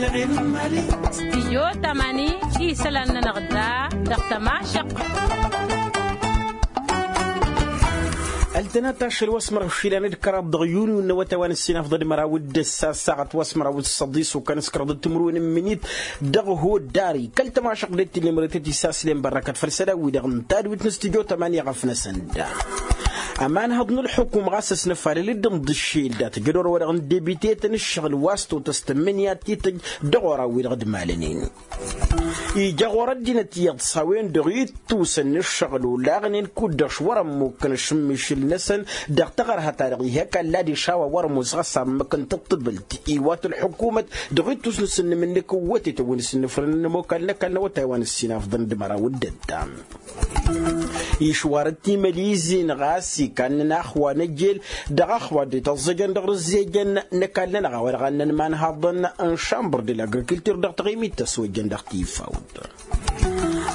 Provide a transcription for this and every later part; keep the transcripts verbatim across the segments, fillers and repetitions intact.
Stijyo tamani isălan-nănăɣ da dăɣ-tămašăq. Ăltănat ašăl wa s-mărăɣ išilan d-kăraḍ dăɣ-yunyu n-awătay wa n-ǝssin afḍăn d-măraw d-ǝssa ăssaɣăt wa s-mărăɣ d-săḍis ukan s-kăraḍ d-timǝrwen n-imǝnit dăɣ-hodari kăl-tămašăq d-ettǝllemărătet isaslem bărrăkăt făll-isălan-wi-dăɣ n-tadwit n-stijyo tamani ɣăf-năsăn da. Ămanhăḍ n-ǝlxǝkum ɣas ăsnăfalăl-dd ǝnḍǝššel dat-ăjădor-wa-dăɣ n-debite-tăn ǝššăɣǝl wa s-totăs tǝmmǝnǝya tităjj dăɣ-oraw-wi-dăɣ d-malănen. Ija ɣur-ăddinăt iyyăḍ s-a-wen-dăɣ ittusăn n-ǝššăɣǝl olaɣnen kud-dăɣ š-wăr-ămmukkăn ašǝmmišǝl-năsăn dăɣ-taɣărha-ta-dăɣ ih' ăkall adiš a-wa wăr-ămoos ɣas ammǝk n-tǝṭṭǝbǝlt iwat ǝlxǝkumăt dăɣ-ittus n-asǝnnǝm-nǝk ǝwwătet ăwwăn-s ǝnnǝfrǝnăn ămokal n-ăkall n-awătay wa n-ǝssin afḍăn d-măraw d-ăttam. Išwarăt timălizin ɣas ikannen axwa n-ejel dăɣ-axwa dd-ităẓẓejăn dăɣ-rǝzzejăn n-ăkall-nănăɣ a-wa dăɣ-annăn imanhaḍăn n-šambăr de l-agrikiltur dăɣ-taɣimit tăswăjjăn dăɣ-tifawt.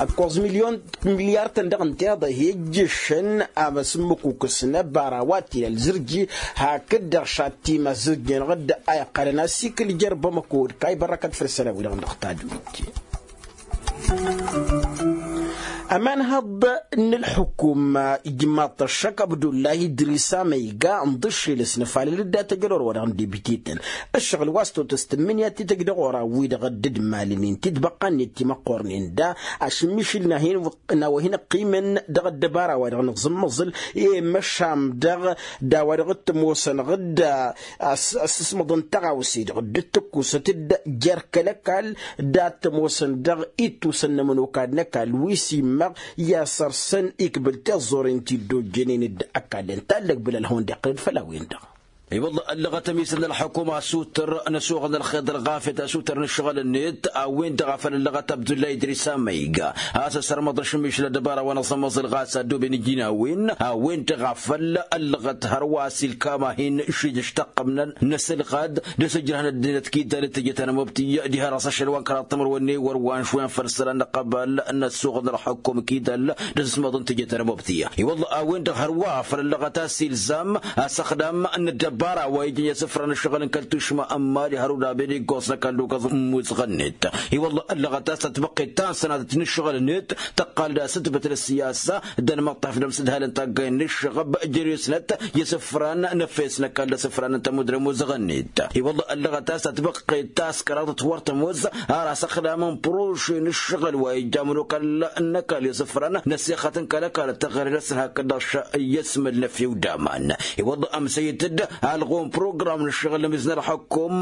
Ăkkoẓ milyon milyar-tăn dăɣ-ǝnta iḍa hi-ǝjjǝššăn amăsǝmmǝkukǝs n-ăbara wa t-ila ălzǝrji hakd-dăɣ šatima ăzzǝrji-năɣ-dd a iqqălăn asikǝl jer-bamăko d-kayy bărrăkăt făll-isălan-wi-dăɣ dăɣ-tadwit. Ămanhăḍ n-ǝlxǝkum ijmaḍ-t ăššăk abdullahi idrisa ma iga ǝnḍǝššel ăsnăfalăl-dd a tăjălor-wa-dăɣ n-debite-tăn ǝššăɣǝl wa s-totăs tǝmmǝnǝya tităjj dăɣ-oraw-wi-dăɣ dd-ǝdmalăn-in titbăqqa-net timăqqornen da ašǝmmišǝl n-a-wa hin-ăqqimăn dăɣ-ăddăbara-wa-dăɣ n-aẓǝmmăẓǝl i-măšan dăɣ-dd a-wa dăɣ-t-ămoosăn ɣǝdda asǝsmăḍ n-taɣawse-dăɣ dd-tǝkkusăt-dd jer-kăl-ăkall dat-ămoosăn dăɣ-ittusăn n-ămănokal n-ăkall wi s-immăɣ i-ad-săr-săn ikbǝl tiẓẓoren ti dd-ojjănen d-ăkall n-tallăg bǝlal hawăn-dd-iqqǝl-dd făll-a-wen-dăɣ. I-wălla ăllăɣăt ămisăn n-ălxukum asuter n-asuɣǝl n-ălxeḍ ălɣafyăt asuter n-ǝššăɣǝl-net a-wen-dăɣ a făl ăllăɣăt abdulla idris amăyga a-s ăssărmăḍ ašǝmmišǝl ăddăbara wa n-aẓămmăẓǝl ɣas a ăddooben iji n-a-wen a-wen-dăɣ a făl ăllăɣăt hărwa s-ilkam a hin-šijǝš tăqqămnăn n-asǝlɣad d-asǝjrăhăn ăddinăt kidal d-tejăt anămobti diha dăɣ-s ašăl wa n-kăraḍ timǝrwen n-ewăr wa n-išwăyăn făll-isălan n-ăqqăbal n-asuɣǝl n-ălxukum kidal d-asǝsmăḍ n-tejăt anămobti. I-wălla a-wen-dăɣ hărwa a făl ăllăɣăt a-s ilzam asăxdam n-ăddăbara wa ijăn i-asǝfra n-ǝššăɣǝl n-kăl-tušma ămmal i-hărud abed iggoẓ n-ăkall d-okăẓ n-imuzăɣ-net. I-wălla ăllăɣăt a-s tatbăqqet ta n-sănatăt n-ǝššăɣǝl-net tăqqal d-asǝtbǝt n-ăssiyasa d-anmăṭṭaf d-amsǝdhal n-taggay n-ǝššăɣăb jere-snăt i-asǝfran n-efes n-ăkall d-asǝfran n-tămud d-amuzăɣ-net. I-wălla ăllăɣăt a-s tatbăqqet ta s-kăraḍăt wăr tămoz ar asăxdam n-păroše n-ǝššăɣǝl wa ija ămănokal n-ăkall i-asǝfran n-ăssixăt n-kăl-ăkall d-taɣăre-năsăn hakd-dăɣ š-i-asmăl n-efew d-aman. I-wălla ămsăyăt-dd alɣu n-program n-ǝššăɣǝl n-amiz n-ălxukum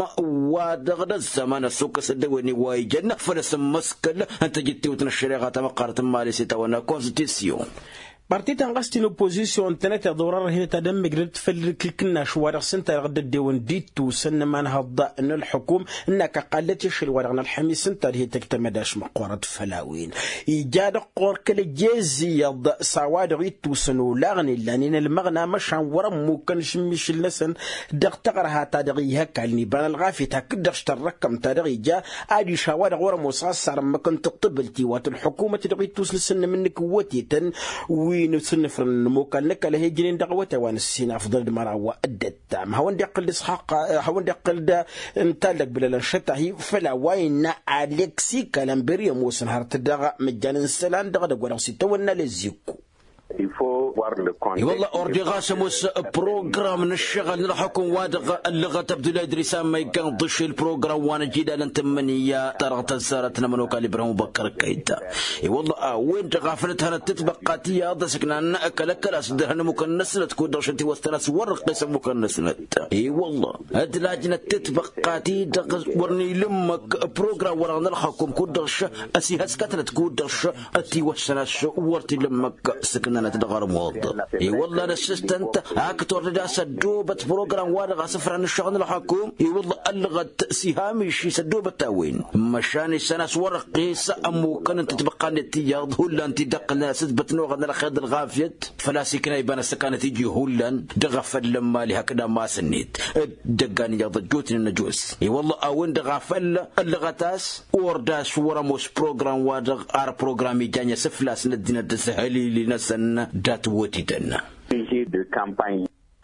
wa-dăɣ d-ăzzăman ăssukăs ăddăwăynen wa ijăn făll-asǝmmǝskǝl n-tajǝttewt n-ăššăreɣa tamăqqarăt n-imali s-itawănna konstitisyon. Parti-tăn ɣas ti n-oppozisyon ǝntănăteḍ wăr-ărhǝnăt ad-ămmǝjrăd făll-kǝlkǝnnaš wa dăɣ-s ǝnta dăɣ-dd-ăddewăn d-ittusăn n-imanhăḍ n-ălxukum ǝnnak ăqqalăt išǝl wa dăɣ-nălxămis ǝnta ad-hetăj tamădaš măqqoorăt făll-a-wen. Ija dăɣ-ɣur-kăl ăjjez iyyăḍ s-a-wa-dăɣ ittusăn olaɣnen lanen ălmăɣna măšan wăr-ămmukkăn ašǝmmišǝl-năsăn dăɣ-taɣărha-ta-dăɣ ih' ăkall n-iba n-ălɣafyăt hakd-dăɣ š-tărrăkkăm-ta-dăɣ ija adiš a-wa-dăɣ wăr-ămoos ɣas sarămmăk n-tǝṭṭǝbǝlt iwat ălxukumăt dăɣ-ittus n-asǝnnǝm-nǝk ǝwwătetăn wi n-asǝnnǝfrăn n-ămokal n-ăkall a he-ǝjnen dăɣ-awătay wa n-ǝssin afḍăl d-măraw d-ăttam hawăn-dd-iqqǝl d-isxaq hawăn-dd-iqqǝl d-ǝntallăk bǝlălăn šăt-ahi făll-a-wa innă aleksi kalămbăr i-ămoosăn hărăt dăɣ-măjjan n-isălan dăɣ-edăgg wa dăɣ-s itawănna lezziku. I-wălla ordi ɣas ămoos program n-ǝššăɣǝl n-ălxukum wa dăɣ-ăllăɣăt abdullah idris amma iggan ḍǝšel program wa n-ăjidal n-tǝmmǝnǝya ta dăɣ-tăzzarăt n-ămănokal ibrahim băkkăr kăyta. I-wălla a-wen-dăɣ a făl ǝdhănăt tǝtbăqqa ti iyyăḍ ăsǝknan kăl-ăkkăl a-s dd-ărhan ămmukăn-năsnăt kud-dăɣ šăt iwăstăn a-s wăr-dd-ăqqes ămmukăn-năsnăt. I-wălla ădlajnăt tǝtbăqqa ti-dăɣ wăr n-ila ǝmmǝk program-wa-dăɣ n-ălxukum kud-dăɣ š-ăsihăskătnăt kud-dăɣ š-ătiwăssăn a-s wăr t-ila ǝmmǝk sǝknănăt dăɣ-armuḍ. I-wălla năssǝstăn-t a ǝktor d-ad-dăɣ-s ăddoobăt program-wa-dăɣ asǝfran n-ǝššăɣǝl n-ălxukum. I-wălla ăllăɣăt s-iha miši s-ăddoobăt a-wen măšan issan a-s wăr-ăqqes ămmukăn n-tǝtbăqqa-net ti iyyăḍ hullan ti dd-ăqqǝlnen asǝtbăt n-oɣăl n-ălxeḍ ălɣafyăt. Făl-a-s ikna iba n-ăssăkanăt iji hullan dăɣ-afăl n-ămali hakd amas-net. D-ăggan iyyăḍ ăjjootnen ăjoos i-wălla a-wen-dăɣ a făl ăllăɣăt a-s ordas wăr-ămoos program-wa-dăɣ ar program ijan i-asǝflas n-ăddinăt d-asǝhălili-năsăn dat-wătităn.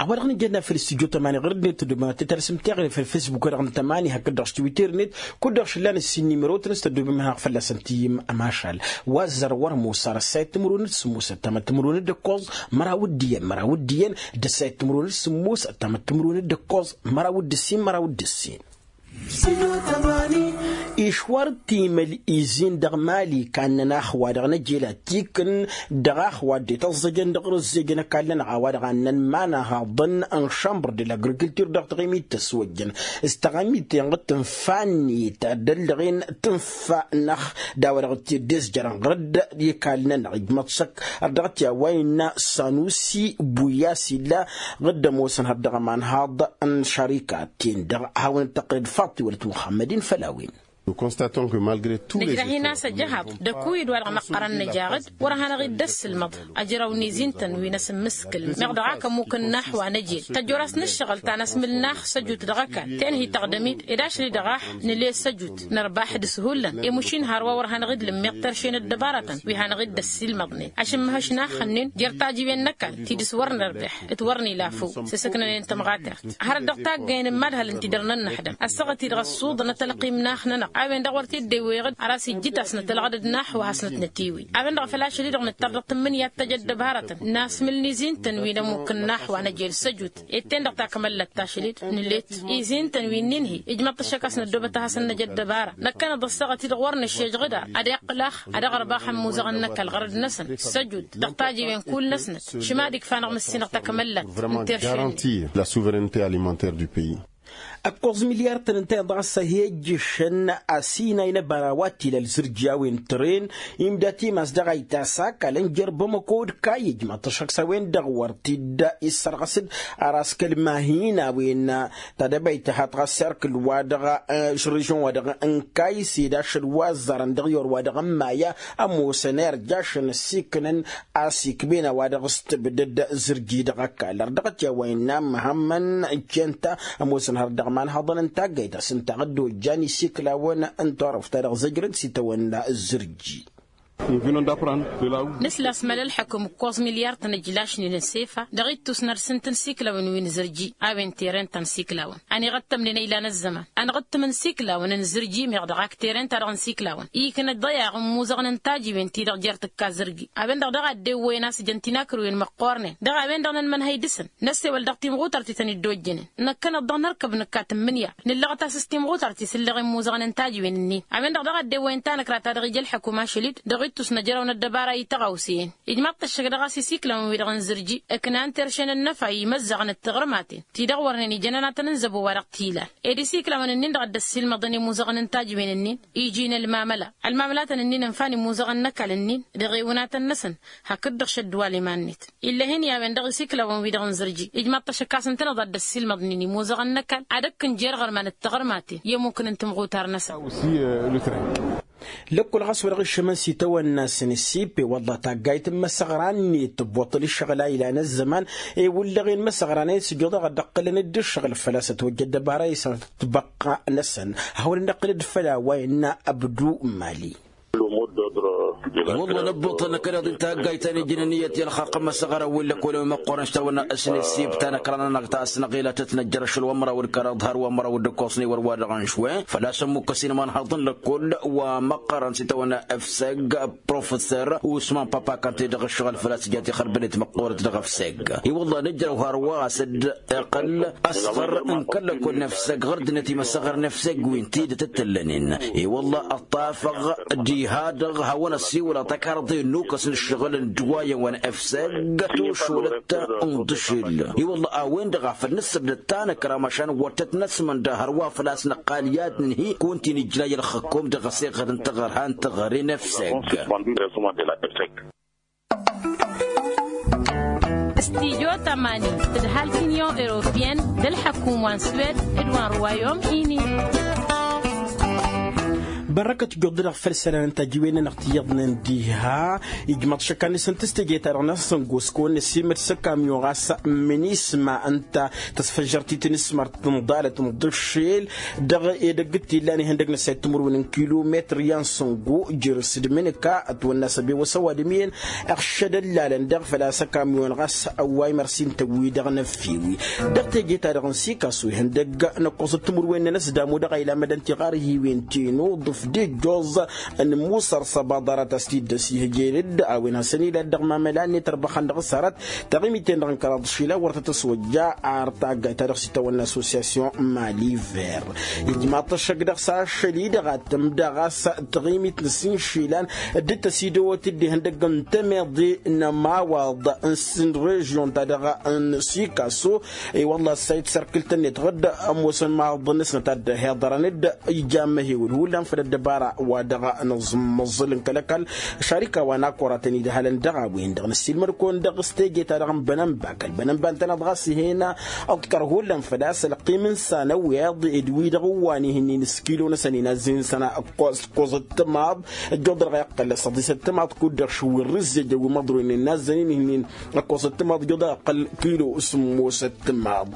A-wa-dăɣ nǝjănna făll-studyo tămani ɣur-dd-net tăddobem ad-t-tărsǝm teɣre făll-facebook-wa-dăɣ n-tămani hakd-dăɣ s-twitter-net. Kud-dăɣ šǝllan ǝssin nimeroten s-tăddobem ad-hanăɣ-fălla-săn tǝyyǝm ămašal. Wa ăzzar wăr ămoos ar ăssayăt timǝrwen d-sǝmmos ăttamăt timǝrwen d-ǝkkoẓ măraw d-iyyăn măraw d-iyyăn d-ăssayăt timǝrwen d-sǝmmos ăttamăt timǝrwen d-ǝkkoẓ măraw d-ǝssin măraw d-ǝssin. Išwar timăl izin dăɣ-mali kannăn ax wa dăɣ-năjel ad-t-ikǝn dăɣ-ax wa dd-ităẓẓăjăn dăɣ-rǝzzejăn ăkall-nănăɣ a-wa dăɣ-annăn iman-ahaḍăn n-šambăr de l-agrikiltur dăɣ-taɣimit tăswăjjăn s-taɣimit tenɣăt tǝnfa-net ad-ăllăɣen tǝnfa-năɣ d-a-wa dăɣ-t-dd-izjărăn ɣur-dd ikall-nănăɣ ijmăḍ šăkk har dăɣ-t i-a-wa innă sanusi buyas illa ɣǝdd ămoosăn har dăɣ-ămanhaḍ n-šarikat-ten-dăɣ hawăn-dd-tăqqǝlăd faḍt iwălăt muxămmăd-in făll-a-wen. Nǝjrăh-in a-s ăjăhaḍ d-ăkuy-dd wa-dăɣ măqqărăn nǝjaɣ-dd wăr hanăɣ-dd-ăssǝlmăḍ ajrăw n-izin-tăn wi n-asǝmmǝskǝl meɣ dăɣ-ak ămmuk n-nax wa năjel tăjor-as n-ǝššăɣǝl ta n-asmǝl-nax săjut dăɣ-ăkall tenhi tăɣdăm-dd ed ašli dăɣ-ax nǝle săjut nărbaḥ d-ǝshullan i-mušin hărwa wăr hanăɣ-dd lǝmmiɣ terše n-ăddăbarătăn wi hanăɣ-dd-ăssiilmăḍnen ašǝmmăhăš n-axǝnnin jer-tajiwen n-ăkall ti dăɣ-s wăr nărbeḥ d-wăr nila făw s-asǝknănen tămɣatert hărăt dăɣ-taggăyăn n-imadhăl ǝnta i-dăr-nănnăḥdăm ăssaɣăt-i-dăɣ ăssuḍăn ătălqim n-ax-nănăɣ a-wen-dăɣ wăr t-dd-ewweɣ-dd har a-s ijjǝt a-s nătălɣăd d-naxwa hasnăt-nătiwǝy a-wen-dăɣ făl ašăl-i-dăɣ nǝttăr dăɣ-tǝmmǝnǝya d-tăj ăddăbarătăn n-asmǝl n-izin-tăn wi n-ămmuk n-naxwa năjel săjut ed ten-dăɣ takmăllat tašăl-dd nǝlet izin-tăn wi n-inhi ijmăḍ-t ăššăk a-s năddoobăt a hasăn-năj ăddăbara năkkăneḍ ăssaɣăt-i-dăɣ wăr nǝššejăɣ d-ad-iqqǝl ax ad-iɣrǝb ax ămmuẓăɣăn n-ăkall ɣărăd-năsăn săjut dăɣ-tajiwen kull-năsnăt šǝma d-ikfa-năɣ măssinăɣ takmăllat n-teršen-net. Garantir la souveraineté alimentaire du pays. Ǝkkoẓ milyar-tăn ǝnta-en-dăɣ a-s ăhejjǝšăn asinay n-ăbara wa t-ila ălzǝrji a-wen tăren imda timas dăɣ-a itas akal ǝnjăr bamăko d-kayy ǝjmaḍ-t ăššăk s-a-wen-dăɣ wăr t-dd-issărɣăs-dd. Ar askăl mahin a-wen tadăbayt tăhaḍ ɣas irkǝl wa dăɣ-ašrǝžăn wa dăɣ-n kayy s-ed ašăl wa ăzzarăn dăɣ-i or wa dăɣ-n maya ămoosăn irjašăn ăssiiknăn a-s ikben a-wa-dăɣ s-tǝbdăd zǝrji dăɣ-ăkall ărdăɣăt i-a-wa innă măhămmăn. Centa ămoosăn hărăt dăɣ-imanhăḍăn n-taggayt a-s ǝnta a dd-ojjan isiklawăn n-turăft ta dăɣ-zăjrăn s-itawănna zǝrji. Nǝsla s-măla ălḥăkum ǝkkoẓ milyar-tăn ǝjlašnen n-sefa dăɣ-ittus n-ad-sǝntǝn isiklawăn wi n-zǝrji a-wen teren ta n-isiklawăn ăniɣăttămnen a ilan ăzzăman ănɣǝttǝm n-isiklawăn n-zǝrji meɣ dăɣ-ak teren-ta-dăɣ n-isiklawăn iknăt ḍăyaɣ n-imuzăɣăn n-tajiwen-ti-dăɣ jer-tǝkka zǝrgi a-wen-dăɣ daɣ a dd-ewwăyăn a-s jăn tinakruwen măqqoornen dăɣ-a-wen-dăɣ nǝnmănhăy dăɣ-săn năssewăl dăɣ-timɣutar ti tăn-dd-ojjănen năkkăneḍ-dăɣ nărkăb nǝkka tǝmmǝnǝya nǝllăɣăt a-s s-timɣutar ti s-ǝllăɣen imuzăɣăn n-tajiwen-nin a-wen-dăɣ daɣ a dd-ewwăyăn tanăkra ta dăɣ-ija ălḥăkum ašăl-dd dăɣ-ittus n-ajrăw n-ăddăbara i-tăɣawse-en ijmaḍ-t ăššăk dăɣ-a-s isiklawăn-wi-dăɣ n-zǝrji ǝknan terše n-ănnăfa imăzzăɣăn d-tiɣrǝmaten ti-dăɣ wărnen ijăn ănatăn n-zăbo wa dăɣ-t-ilan ed isiklawăn-nin-dăɣ a dd-ăssiilmăḍăn imuzăɣăn n-tajiwen-nin iji n-ălmamăla ălmamălatăn-nin ǝnfan imuzăɣăn n-ăkall-nin dăɣ-ewǝnatăn-năsăn hakd-dăɣ šăddǝwal iman-net ill'-e-hin i-a-wen-dăɣ isiklawăn-wi-dăɣ n-zǝrji ijmaḍ-t ăššăk a-s ǝntăneḍ a dd-ăssiilmăḍnen imuzăɣăn n-ăkall ad-ăkk ǝnjer ɣărman d-tiɣrǝmaten i-ămmukǝn n-timɣutar-năsăn. Lăkkol ɣas wa dăɣ-iššămăn s-itawănna s-nǝssip i-wălla taggayt n-imăsăɣra-net tǝbbuṭṭăl ǝššăɣǝl a ilan ăzzăman i-wǝllăɣen imăsăɣra-net s-ǝjjuḍăɣ ad-dd-ăqqǝlăn-dd ǝššăɣǝl făl-a-s ătwăjja ăddăbara isăr tǝbăqqa-năsăn. Hawăn-dd-ăqqǝl-dd făll-a-wa innă ăbdu mali. I-wălla năbbuṭṭăl năkkăneḍ-i taggayt ta n-ijăn ǝnniyăt i-ălxaqq n-imăsăɣra wi n-lăkkol i-măqqoorăn s-tawănna s-nǝssip ta n-ăkra-nănăɣ ta s-năɣila tăt-năjjăr ašăl wa n-măraw d-kăraḍ har wa n-măraw d-ǝkkoẓ n-ewăr wa dăɣ-nǝšwe făl-a-s ămmukkăs inmănhăḍ n-lăkkol wa măqqărăn s-itawănna efseg professor usman papa kante dăɣ-ǝššăɣǝl făl-a-s ija tixărbănet măqqoorăt dăɣ-efseg. I-wălla nǝjrăw hărwa a-s dd-iqqăl ăsɣăr n-kăl-lăkkol n-efseg ɣur-dd-net imăsăɣăr n-efseg wi n-tidǝt t-ǝllănen. I-wălla ăṭṭafăɣ diha-dăɣ hawăn-ăssiwǝlăɣ takarḍe n-ukăs n-ǝššăɣǝl n-ǝddǝwayăn wa n-efseg tušulăt n-iḍǝšǝl. I-wălla a-wen-dăɣ a făl nǝssǝbdăd tanăkra măšan wăr tăt-năsmănda hărwa făl-a-s năqqal i-ad-nǝnhǝy kăwăn-t-in-ǝjrăy ălxǝkkum dăɣ-ăseɣăd n-taɣărha n-taɣăre n-efseg. Studyo tămani tǝdhal t-inyon europeyăn d-ălḥăkum wa n-swed d-wa n-ruwayom ini. Bărrăkăt ijjuḍ-dăɣ făll-isălan n-tajiwen-nănăɣ ti iyyăḍnen diha. Ijmaḍ šăkkan-năsăn tǝstejăy-ta-dăɣ n-asǝngus kăwăn-năsiimăd s-akamyon ɣas minisma ǝnta tăsfăjjăr-t i-tinǝsmărt tǝnḍalăt n-iḍǝššel dăɣ-edăgg t-illan ihăndăg n-ăssayăt timǝrwen n-kilometr i-ansǝngu jer-s d-imǝnǝka ătwănna s-ăbewăs ăwadǝm iyyăn. Iɣšăd ăllalăn daɣ făl-a-s ăkamyon ɣas ăwway mărsin tăwwi-dăɣ n-ăffiwi. Dăɣ-teje-ta-dăɣ n-sikasu ihăndăg n-ăkkoẓăt timǝrwen n-enăsdam-u-dăɣ a ila mădăn tiɣarhiwen ti-nuḍǝf d-ijjoẓ n-musăr s-abaḍarat a-s t-dd-ăsihăjel-dd a-wen hasăn-ila dd-dăɣ mamăla-net ărbăxăn dăɣ-s hărăt. Taɣimit-ten-dăɣ n-kăraḍ išilan wăr tăt-ăswăjja ar taggayt-ta-dăɣ s-itawănna assosyasyon maliver. Ijmaḍ-t ăššăk dăɣ-s ašăl-i-dăɣ ad-tǝmdăɣ a-s taɣimit n-ăssinšilan dd-tăsidăwăt-dd ihăndăgg n-temeḍe n-ămawaḍ n-sǝnrežyon-ta-dăɣ n-sikaso. I-wălla ăssayăt sărkǝl-tăn-net ɣǝd ămoosăn imawaḍăn-năsnăt ad-dd-hiḍărăn-dd ija ămmăhewǝl hullan făll-ăddăbara wa dăɣ-nǝẓmǝẓǝl n-kăl-ăkall. Šarika wa n-akoratăn idhălăn dăɣ-a-wen-dăɣ năssiilmăd-kăwăn dăɣ-s teje-ta-dăɣ n-bănănba kăl-bănănba ǝntăneḍ ɣas ih'-e-năɣ ǝḍkăr hullan făl-a-s ălqim n-isan ăwiḍ d-wi-dăɣ ǝwwan ih'-ǝnnin s-kilo-năsăn inazzǝn săn ăkkoẓ ăkkoẓăt timaḍ. Ăjjoḍăr ɣa iqqăl s-ăḍisăt timaḍ kud-dăɣ šǝwwǝn rǝzzej ăwwimăḍroynen inazzăn-in ih'-ǝnnin ăkkoẓăt timaḍ ăjjoḍăr iqqăl kilo sǝmmosăt timaḍ.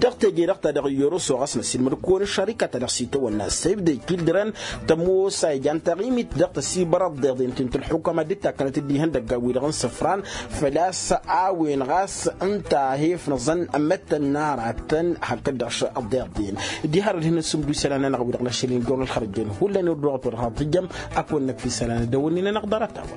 Dăɣ-teje-dăɣ ta dăɣ-iyyăr ossoɣ a-s năsiilmăd-kăwăn ăššarika ta dăɣ-s itawănna săyb d-ekildărăn tămoos a ijan taɣimit dăɣ-tăsibărăḍ d-iḍen ti n-tǝlxukăma dd-takkănăt dd-ihăndăgga-wi-dăɣ n-isǝfran. Făl-a-s a-wen ɣas ǝnta a he-ifnăẓăn ămmăttăn n-aratăn hakd-dăɣ šăḍeḍen. Diha ărăd hin-ăssumdu isălan-nănăɣ wi-dăɣ n-ašăl-in jon ălxărăjăn hullan i-wăr dăɣ-a tor haḍ tǝjjăm. Ad-kăwăn-năkf isălan ad-dăwănnin-anăɣ ḍarăt-a-wa.